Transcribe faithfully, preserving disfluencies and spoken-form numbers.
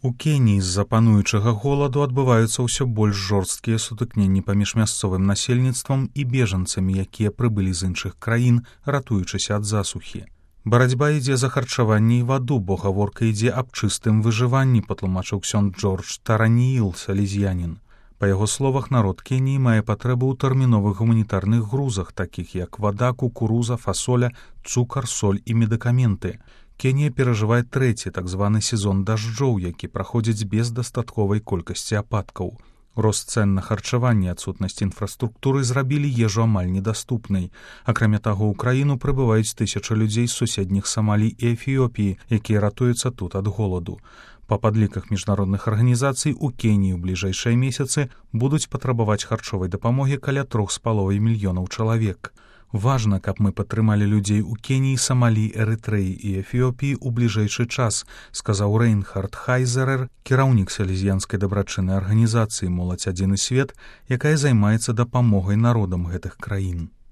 У Кеніі з-за пануючага голаду адбываюцца ўсё больш жорсткія сутыкненні паміж мясцовым насельніцтвам і бежанцамі, якія прыбылі з іншых краін, ратуючыся ад засухі. Барацьба ідзе за харчаванне і ваду, бо гаворка ідзе аб чыстым выжыванні, патлумачыў ксёнд Джордж Таранііл, салезіянін. Па яго словах, народ Кеніі мае патрэбу ў тэрміновых гуманітарных грузах, такіх як вада, кукуруза, фасоля, цукар, соль і медыкаменты. Кенія перажывае трэці так званы сезон дажджоў, які праходзіць без дастатковай колькасці ападкаў. Рост цэн на харчаванне, адсутнасць інфраструктуры зрабілі ежу амаль недаступнай. Акрамя таго, ў краіну прыбываюць тысячы людзей з суседніх Самалі і Эфіопіі, якія ратуюцца тут ад голаду. Па падліках міжнародных арганізацый у Кеніі ў бліжэйшыя месяцы будуць патрабаваць харчовай дапамогі каля трох з паловай мільёнаў чалавек. Важна, каб мы падтрымалі людзей у Кеніі, Самалі, Эрытрэі і Эфіопіі ў бліжэйшы час, сказаў Рэйнхард Хайзерер, кіраўнік салезіянскай дабрачыннай арганізацыі «Моладзь адзіны свет», якая займаецца дапамогай народам гэтых краін.